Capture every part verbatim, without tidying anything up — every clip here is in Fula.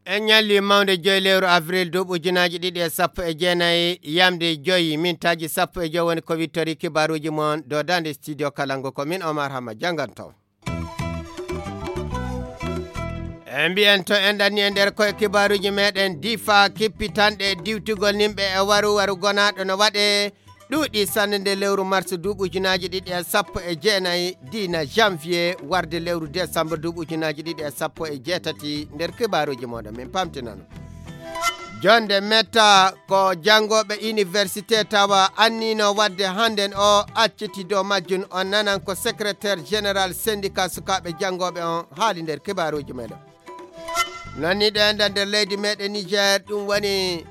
En ñalli mawnde joyi lewru avril duuɓi ujunaaji ɗiɗi e sappo e jeenayi, yamde joyi mintaaji sappo e joyi woni ko wittori kibaaruuji mon dow daande studio Kalangu. Ko min Omar Hama jannganto. E mbiyen to en ɗanni e nder koye kibaaruuji meɗen, difa kippitanɗe diwtugol nimɓe e waru waru gonaaɗo no waɗe ɗuuɗi sanne nde lewru mars duuɓi ujunaaji ɗiɗi e sappo e jeenayi, diina janvier warde lewru décembre duuɓi ujunaaji ɗiɗi e sappo e jeetati. Nder kibaaruuji moɗon min pamtinano. Jonde metta ko janngooɓe université tawa annino wadde hannden o acciti dow majjum. On nanan ko secrétaire général syndicat sukaaɓe janngooɓe on haali nder kibaaruuji meɗen. Nani ɗo enda nder leydi meɗen Niger, ɗum woni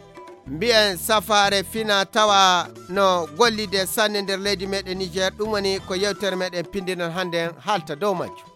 mbiyen safaare fina tawa no gollide sanne nder leydi meɗen Niger. Ɗum woni ko yewtere meɗen pindinon hannden haalta dow majjum.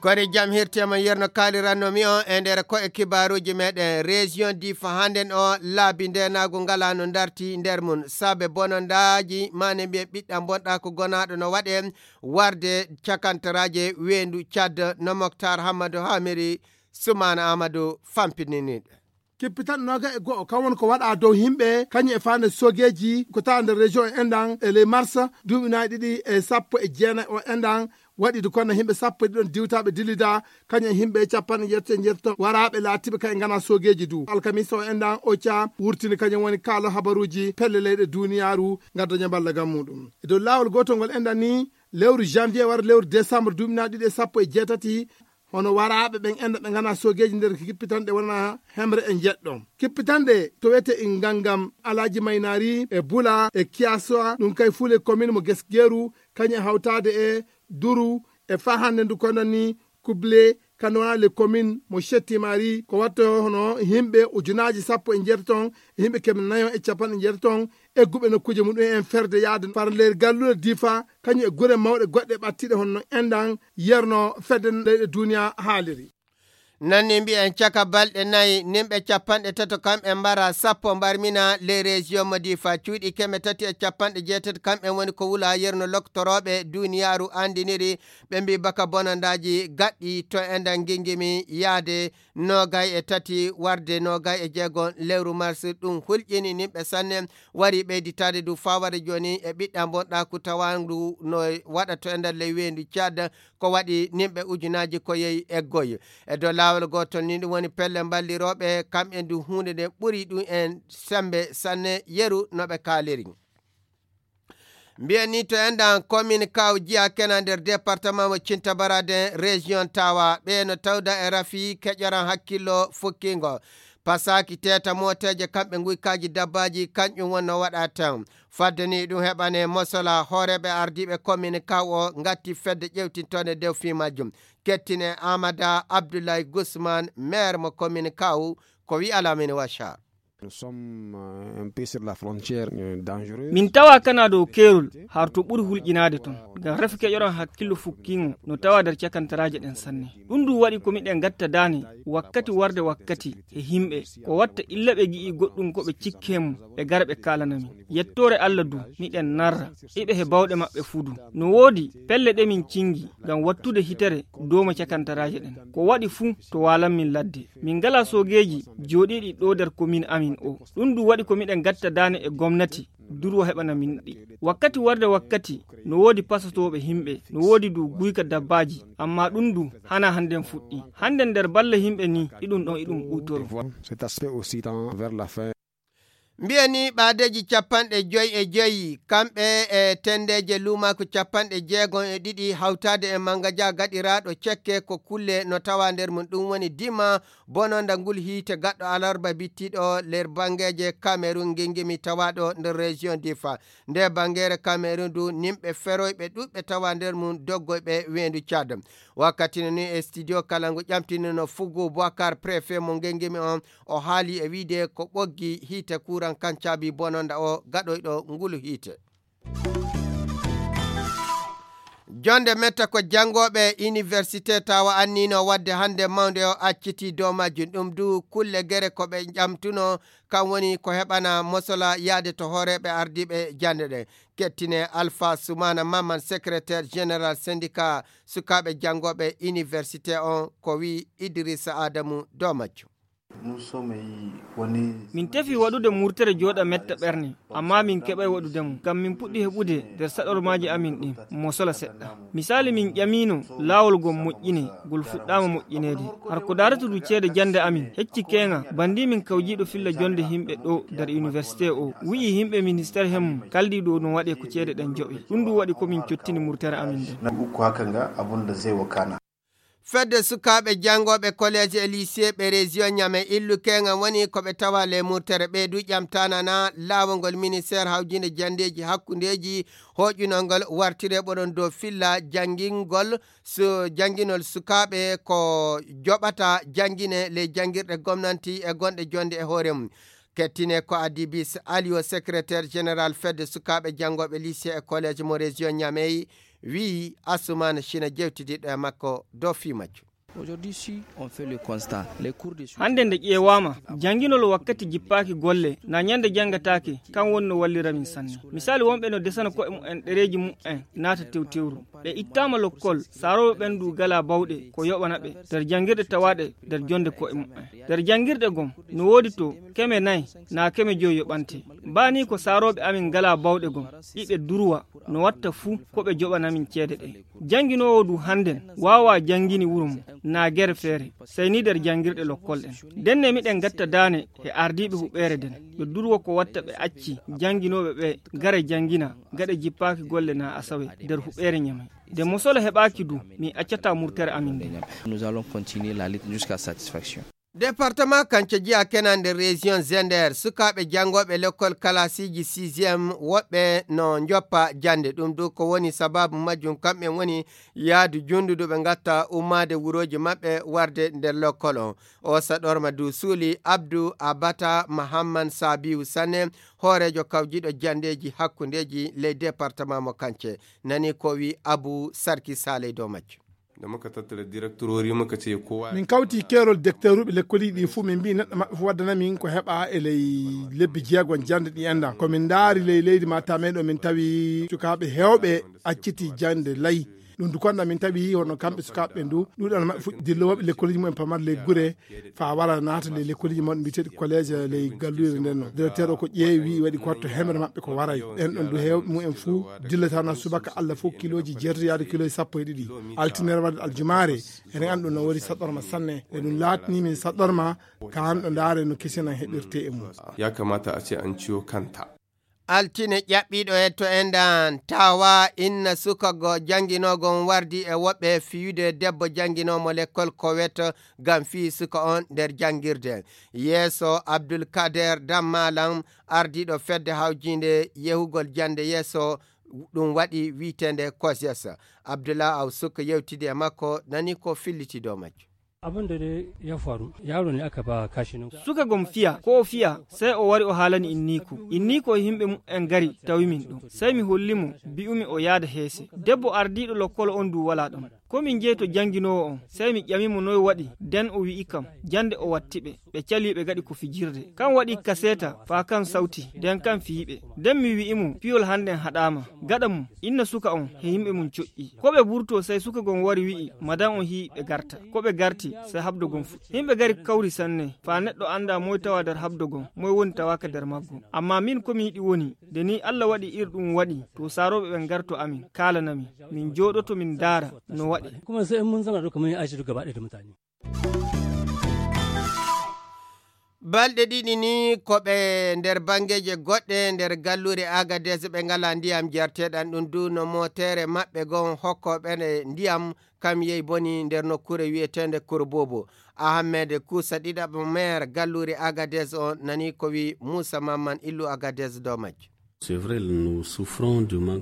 Kori jam hirtema yerno kaaliranno mi on e nder ko e kibaaruuji meɗen. Région difa hannden o laabi ndenaagu ngala no darti nder mum saabe bonondaaji mane mbiyen ɓiɗɗam bonɗa ko gonaaɗo no waɗe warde cakantaraaje weendu Tchad. No Moktar Hammadu Hamiri Sumaana Amadou fampininiɗe. Kippitanɗe noga e go'o kan woni ko waɗa dow yimɓe kañum e faande sogeeji ko tawa nder région e endan e ley mars duuɓi nayi ɗiɗi e sappo e jeenayi o endan, waɗi de kono yimɓe sappo e ɗiɗon diwtaɓe dillida kañum e yimɓe capanɗe jeetati e jeetati waraaɓe laatiɓe kañum ngana sogeeji du. Alkamisa o endan oca wurtini kañum woni kaalo habaruuji pelle leyɗe duniyaaru. Ngadda ñaballa gam muɗum e dow laawol gootol ngol endan ni lewru janvier wara lewru décembre duuɓi nayi ɗiɗi e sappo e jeetati. Hono waraaɓe ɓen enɗa ɓe ngana sogeeji nder kippitanɗe wona hemre e jeɗɗo. Kippitanɗe to wiyete Ingangam, Alaaji Maynaari e Bula e Kiyasowa, ɗum kay fule commune mo Gesgeeru, kañum e hawtaade e Duru e faa hannde ndu kono ni Kuble, kano wona le commune mo Shettimari, ko watto hono yimɓe ujunaaji sappo e jeetaton e yimɓe keme nayo e capanɗe jeetaton egguɓe nokkuuje muɗum en ferde yaade par nder galluure Difa, kañum e gure mawɗe goɗɗe ɓattiiɗe hono no enɗan yerno fedde leyɗe duniya haaliri. Nanni mbiyen caka balɗe nayi, nimɓe capanɗe tato kamɓe mbara sappo mbarmina les régions mo Difa, cuuɗi keme tati e capanɗe jeetati kamɓe woni ko wula yerno loktorooɓe duniyaaru anndiniri, ɓe mbi baka bonondaaji gaɗɗi to enɗan gingimi yaade noogay e tati warde noogay e jeego lewru mars. Ɗum hulƴini nimɓe sanne, wari ɓeyditaade du faa wara jooni e ɓiɗɗa bonɗaaku tawaandu no waɗa to e nder ley weendu Tchad, ko waɗi nimɓe ujunaaji ko yehi eggoy. E dow laawol gootol ni ɗum woni pelle mballirooɓe, kamɓe du huunde nde ɓuri ɗum en semmbe sanne yeru no ɓe kaaliri. Mbiyen ni to enɗan commune Kaw Jiya kena nder département mo Cinta Baraden région Tawa, ɓe no tawda e rafi keƴoran hakkillo fukkingo. Pasaaki teeta mooteeje kamɓe nguykaaji dabbaaji, kanƴum wonno waɗa tan. Fadde ni ɗum heɓane mosola hooreeɓe ardiiɓe commune Kaw o ngatti fedde ƴewtintoonde dow fii majjum. Kettine Amada Abdoulaye Gusman, maire mo commune Kaw, ko wi'a Lamine Wachar. Nous sommes, euh, un peu sur la frontière, euh, dangereuse. Min tawa kana dow keerol, har to ɓuri hulƴinaade ton. Ngam rafi keƴoran hakkillo fukkiingo no tawa nder cakantaraaje ɗen sanne. Ɗum ɗum waɗi ko miɗen ngatta daane wakkati warde wakkati e yimɓe. Ko watta illa ɓe gi'i goɗɗum ko ɓe cikki e mum, ɓe gara ɓe kaalana min. Yettoore Allah du, miɗen narra. Iɓe he bawɗe maɓɓe fuu du. No woodi pelle ɗe min cingi ngam wattude hitere dooma cakantaraaje ɗen. Ko waɗi fuu to waalan min ladde. Min ngalaa soogeeji jooɗiiɗi ɗoo nder komin amin o. Ɗum du waɗi ko miɗen ngatta daane e gomnati, durwo heɓana min ɗi. Wakkati warde wakkati, no woodi pasotooɓe yimɓe, no woodi du guyka dabbaaji, ammaa ɗum du hanaa hannden fuɗɗi. Hannden nder balle yimɓe ni, iɗum ɗon iɗum ɓuytoro. Cet aspect aussi tend vers la fin. Mbiyen ni ɓaadeeji capanɗe joyi e joyi, kamɓe e tenndeeje luumaaku capanɗe jeegom e ɗiɗi, hawtaade e manngaja gaɗiraaɗo cekke ko kulle no tawa nder mum. Ɗum woni dima bononda ngul hiite gaɗɗo alarba bittiiɗo nder banngeeje Cameroun ngingimi tawaaɗo nder région Difa. Nde banngeere Cameroun du, nimɓe feroyɓe ɗuuɗɓe tawa nder mum doggoyɓe weendu Tchad. Wakkati no ni e studio Kalangu ƴamtinino Fugu Boubacar, préfet mo ngengimi on, o haali e wiide ko ɓoggi hiite kuuran kan caabi bononda o gaɗoyɗo ngulu hiite. Jonde metta ko janngooɓe université tawa annino waɗde hannde mawnde o acciti dow majjum. Ɗum du kulle gere ko ɓe ƴamtuno, kam woni ko heɓana mosola yaade to hooreeɓe ardiiɓe jannde ɗe. Kettine Alpha Soumana Maman, secrétaire général syndicat sukaaɓe janngooɓe université on, ko wi Idrissa Adamu dow majjum. Min tefi waɗude murtere jooɗa metta ɓerne, amma min keɓay waɗude mum, ngam min puɗɗi heɓude nder saɗormaaji amin ɗin mosola seɗɗa. Misali, min ƴamino laawol ngol moƴƴine, ngol fuɗɗaama moƴƴineede. Har ko daarata du ceede jannde amin, hecci keeŋa, bandi min kawjiiɗo filla jonde himɓe ɗo nder université o, wi'i himɓe ministère hemum kaldi ɗo no waɗe ko ceede ɗen joɓe. Ɗum du waɗi ko min cottini murtere amin nden. Fedde sukaaɓe janngooɓe collège e lycée ɓe région Niamey illu keeŋa woni ko ɓe tawa le murtere ɓeydu ƴamtaana na laawol ngol ministère hawjinde janndeeji hakkundeeji hoƴunol ngol wartire ɓoɗon dow filla janngingol su-, jannginol sukaaɓe ko joɓata janngine ley janngirɗe gomnanti e gonɗe jonde e hoore mum. Kettine ko Adibis Aliyo, secrétaire général fedde sukaaɓe janngooɓe lycée e collège mo région Niamey, wi'i Assoumane Chine jewtidiɗɗo e makko dow fii majjum. Hannde nde ƴeewaama, jannginol wakkati jippaaki golle, na ñande janngataake, kan woni no wallira min sanne. Misali, wonɓe no desana ko'e mumen ɗereeji mumen naata tewtewru. Ɓe ittaama lokkol, saarooɓe ɓen du gala bawɗe, ko yoɓana ɓe, nder janngirɗe tawaaɗe nder jonde ko'e mumen. Nder janngirɗe gom, no woodi to keme nay, na keme joyi yoɓante. Baa ni ko saarooɓe amin ngala bawɗe gom, iɓe durwa, no watta fuu ko ɓe joɓana min ceede ɗe. Jannginoowo du hannden waawaa janngini wuro mum, na gere feere, sey ni nder janngirɗe lokkol ɗen. Nden ne miɗen ngatta daane e ardiiɓe huɓeere nden, ɓe durwa ko watta ɓe acci jannginooɓe ɓe ngara janngina, gaɗa jippaaki golle na asawe nder huɓeere Ñamey. Nde mosola heɓaaki du, min accataa murtere amin nden. Nous allons continuer la lutte jusqu'à satisfaction. Département Kance jiya kenan nder région Zender, sukaaɓe janngooɓe lekkol kalasiiji sixième woɓɓe no njoppa jannde. Ɗum du ko woni sababu majjum, kamɓe woni yaadu junndudu ɓe ngatta ummaade wurooji maɓɓe warde nder lekkol on. O saɗorma du suuli Abdou Abata Mahamman Sabiu Sane, hooreejo kawjiiɗo janndeeji hakkundeeji ley département mo Kance. Nani ko wi Abu Sarki Saleh dow majjum. Da muka tattara direktorori muka ce kowa. Min kawti keerol dekteruɓe lekkoliiji ɗi fuu, min mbii neɗɗo maɓɓe fuu waddana min ko heɓa e ley lebbi jeegon jannde ɗi enɗan. Ko min ndaari ley leydi Matam ɗo, min tawi sukaaɓe heewɓe acciti jannde lay. Ɗum du konda min tawi hono kamɓe sukaaɓe ɓen du, ɗuuɗal maɓɓe fuɗɗi dillowooɓe lekkoliiji mumen pamar ley gure, faa wara naata ley lekkoliiji mawɗi mbiyeteeɗi collège ley galluure nden no. Directeur o ko ƴeewi, waɗi ko watto hemre maɓɓe ko waray. Ɓen ɗon du heewɓe mumen fuu dillata na subaka Allah fuu kilooji jeetati yaade kilooji sappo e ɗiɗi. Altinere wadde aljumaare, eɗen anndi ɗum no woni saɗɗorma sanne. E ɗum laatni min saɗɗorma, kaan ɗo ndaare no kesinan heɓirte e mum. Ya kamata a ce an ciyo kanta. Altine ƴaɓɓiiɗo e to enɗan tawa inna suka go jannginoogo on wardi e woɓɓe fiyude debbo jannginoomo lekkol ko weto ngam fii suka on nder janngirde. Yeeso Abdul Kader Dammalan, ardiiɗo fedde hawjiinde yehugol jannde yeeso, ɗum waɗi wi'eteende Kosies. Abdullah Aw Suka yewtidi e makko, nani ko filliti dow majjum. Abin da dai ya faru, yaro ne aka ba kashi nan. Suka gom fiya, ko o fiya, sai o wari o haalani inniiko. Inniiko e himɓe mumen ngari tawi min ɗo. Sai mi holli mo, bi'umi o yaada heese. Debbo ardiiɗo lokkol on du wala ɗon. Ko min jeyi to jannginoowo on, sai mi ƴami mo noy waɗi, den o wi'i kam, jannde o watti ɓe, ɓe cali ɓe gaɗi ko fijirde. Kan waɗi kaseeta, faa kan sawti, den kan fiyi ɓe. Den mi wi'i mo, piyol hannden haɗaama. Gaɗa mum, inna suka on he yimɓe mum coƴƴi. Ko ɓe burtoo, sey suka gon wari wi'i, madan on hi'i ɓe garta. Ko ɓe garti, sey habdo gon fuɗɗi. Yimɓe gari kawri sanne, faa neɗɗo anndaa moy tawaa nder habdo gon, moy woni tawaaka nder maggo. Ammaa min ko mi yiɗi woni, nde nii Alla waɗi ir ɗum waɗi, to saarooɓe ɓen ngarto amin, kaalana min. Min jooɗoto min ndaara no waɗi. Kuma sai in mun zauna duka mun yi aiki duk gaba ɗaya da mutane. Balɗe ɗiɗi ni ko ɓe nder banngeeje goɗɗe nder galluure Agadez ɓe ngalaa ndiyam jarteeɗam, ɗum du no mootere maɓɓe gon hokkooɓe ndiyam kam yehi boni nder nokkuure wi'eteende Korobobo. Ahmed Kuusa ɗiɗaɓo maire galluure Agadez o nani ko wi Muusa Mamman illu Agadez dow majjum.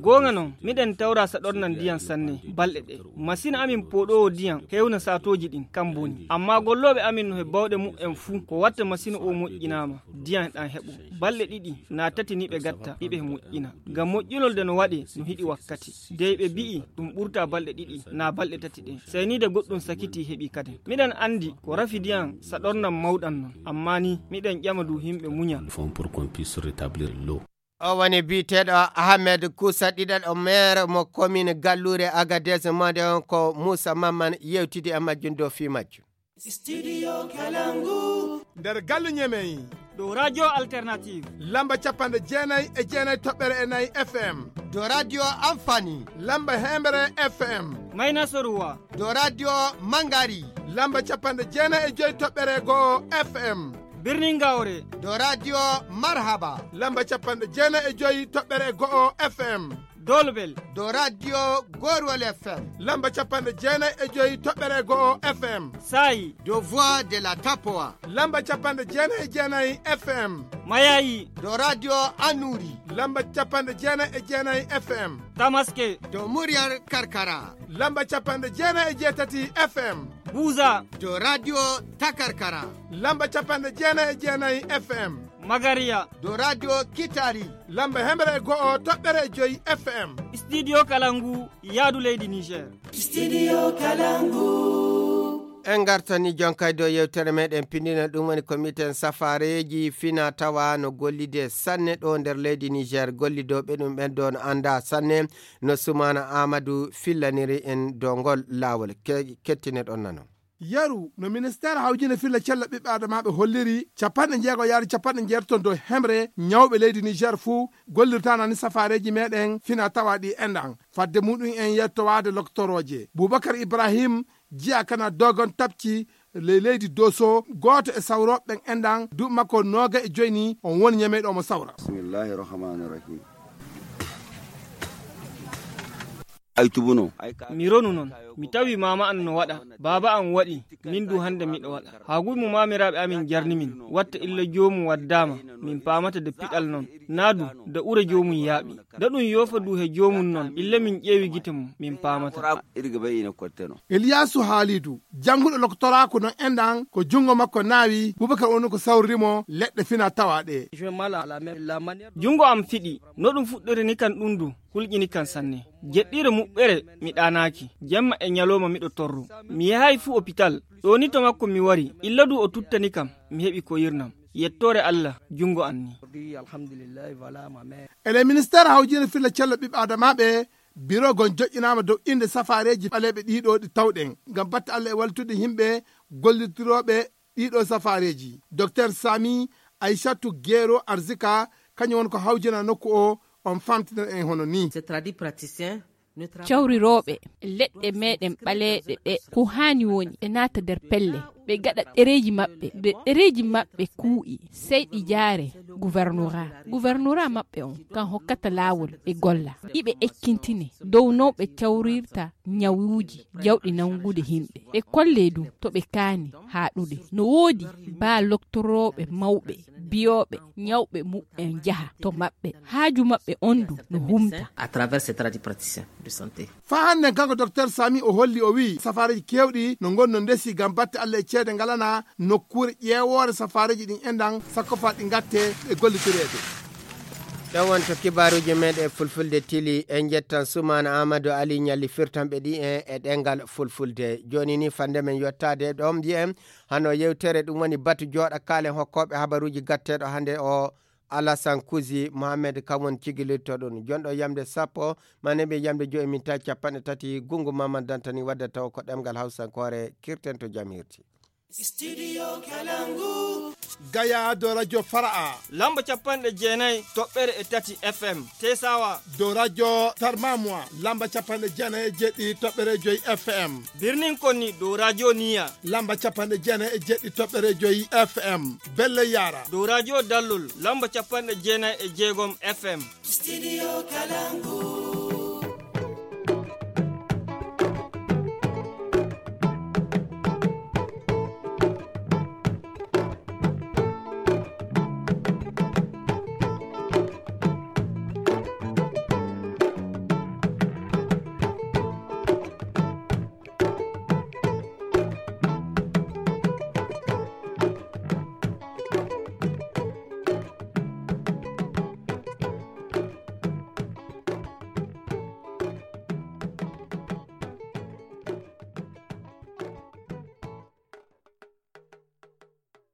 Goonga non, miɗen tawra saɗornan ndiyan sanne balɗe ɗe. Masin amin pooɗoowo ndiyan hewna saatooji ɗin, kan boni. Ammaa gollooɓe amin no he bawɗe muɓɓen fuu, ko watta masin o moƴƴinaama, ndiyan ɗan heɓo. Balɗe ɗiɗi naa tati ni ɓe gatta, iɓe he moƴƴina. Ngam moƴƴinol de no waɗee, no hiɗi wakkati. Dey ɓe bi'i ɗum ɓurta balɗe ɗiɗi naa balɗe tati ɗen. Sey ni de goɗɗum sakitii heɓi kaden. Miɗen anndi ko rafi ndiyan saɗornan mawɗan non. Ammaa ni, miɗen ƴama du himɓe muña. O woni biyeteeɗo Ahmed Kusa, ɗiɗaɗo maire mo commune Galluure Agadez, mode on ko Moussa Mamman yewtidi e majjum dow fii majjum. Studio Kalangu. Nder galle Ñemey. Dow Radio Alternative. Lamba capanɗe jeenayi e jeenayi toɓɓere e nayi F M. Dow Radio Amfani. Lamba hemre F M. Mayna Soruwa. Dow Radio Mangari. Lamba capanɗe jeenayi e joyi toɓɓere go'o F M. Birnin Gawre. Dow Radio Marhaba. Lamba capanɗe jeenayi e joyi toɓɓere go'o F M. Dolbel. Dow Radio Gorwal F M. Lamba capanɗe jeenayi e joyi toɓɓere go'o F M. Saayi. Dow Voix de la Tapoa. Lamba capanɗe jeenayi e jeenayi F M. Mayayi. Dow Radio Anuri. Lamba capanɗe jeenayi e jeenayi F M. Tamaske. Dow Muryar Karkara. Lamba capanɗe jeenayi e jeetati F M. Buza. Dow Radio Takarkara. Lamba capanɗe jeenayi e jeenayi F M. Magariya. Dow Radio Kitari. Lamba hemre e go'o toɓɓere e joyi F M. Studio Kalangu, yaadu leydi Niger. Studio Kalangu. En ngartani jonkay dow yewtere meɗen pindina, ɗum woni ko miten safareeji fina tawa no gollide sanne ɗo nder leydi Niger. Gollidooɓe ɗum ɓen ɗo no annda sanne no Sumaana Aamadu fillaniri en dow ngol laawol. Ke-, kettine ɗon nano. Yeru no ministeer hawjine filla cella ɓiɓɓe adamaaɓe holliri, capanɗe jeego yaade capanɗe jeetati ton dow hemre ñawɓe leydi Niger fuu gollirtaana ni safareeji meɗen fina tawa ɗi enɗan. Fadde muɗum en yettowaade loktorooje. Bubakar Ibrahim, jiya kana dogon tapci ley leydi Doso, gooto e sawrooɓe ɓen enɗan, duuɓi makko nooga e joyi ni, on woni Ñamey ɗo mo sawra. Bismillahi rahmani rahim. Ay tubuno. Mi ronu non. Mi tawi maama an no waɗa, baaba an waɗi, min du hande miɗo waɗa. Haa guy mo maamiraaɓe amin jarni min, watta illa joomum waddaama, min paamata de piɗal non. Naa du, de ura joomum yaaɓi. Da ɗum yoofa du he joomum non, illa min ƴeewi gite mum, min paamata. Iri ga bay ina kotte no. Iliyaasu Haalidu, jannguɗo loktoraaku non enɗan, ko junngo makko naawi, Bubakar woni ko sawriri mo leɗɗe fina tawa ɗe. Junngo am fiɗi, no ɗum fuɗɗori ni kan ɗum du, hulƴini kan sanne. Jeɗɗiire muɓɓere mi ɗaanaaki, jemma e ñalooma miɗo torru. Mi yahay fuu opital, ɗoo ni to makko mi wari, illa du o tuttani kam, mi heɓi koyirnam. Yettoore Allah, junngo an ni. E ley ministeer hawjine filla cella ɓiɓɓe adamaaɓe, biro gon joƴƴinaama dow innde safaareeji ɓaleeɓe ɗiɗo ɗi tawɗen, ngam batte Allah e wallutude yimɓe gollitirooɓe ɗiɗo safaareeji. Doktor Sami Aysatu Gero Arzika, kañum woni ko hawjina nokku o, on famtinir en hono ni. Cawrirooɓe leɗɗe meɗen ɓaleeɓe ɓe, ko haani woni ɓe naata nder pelle, ɓe gaɗa ɗereeji maɓɓe, nde ɗereeji maɓɓe kuuɗi, sey ɗi jaare gouvernorat. Gouvernorat maɓɓe on kan hokkata laawol ɓe golla. Iɓe ekkintine dow no ɓe cawrirta ñawuuji jawɗi nangude yimɓe. Ɓe kolle du to ɓe kaani haaɗude. No woodi baa loktorooɓe mawɓe, biyooɓe, ñawɓe muɓɓen jaha to maɓɓe. Haaju maɓɓe on du no humta. À travers ces tradipraticiens de santé. Faa hannden kanko Doktor Sami o holli, o wi'i safaareeji keewɗi no ngoni no ndesi ngam batte Allah e ceede ngalana nokkuure ƴeewoore safaareeji ɗin enɗan sakko faa ɗi ngatte e gollitoreede. Ɗon woni to kibaaruuji meɗen fulfulde tili. En njettan Sumaana Amadou Ali ñalli firtanɓe ɗi en e ɗemngal fulfulde. Jooni ni fande men yottaade ɗon mbiyen hano yewtere ɗum woni batu jooɗa kaalen hokkooɓe habaruuji gatteeɗo hannde o Alasan Kusi Mohamed kam woni cigilirto ɗum. Jonɗo yamde sappo, ma neɓi yamde joyi minta capanɗe tati, Gungu Mamman Dantani wadda taw ko ɗemngal Hawsankoore, kirten to jam hirti. Studio Kalangu. Gaya do Radio Fara'a. Lamba capanɗe jeenayi toɓɓere e tati F M. Tesawa. Do Radio Tarmamwa. Lamba capanɗe jeenayi e jeɗɗi toɓɓere joyi F M. Birnin Konni do Radio Niya. Lamba capanɗe jeenayi e jeɗɗi toɓɓere joyi F M. Belle Yara. Do Radio Dallol. Lamba capanɗe jeenayi e jeegom F M. Studio Kalangu.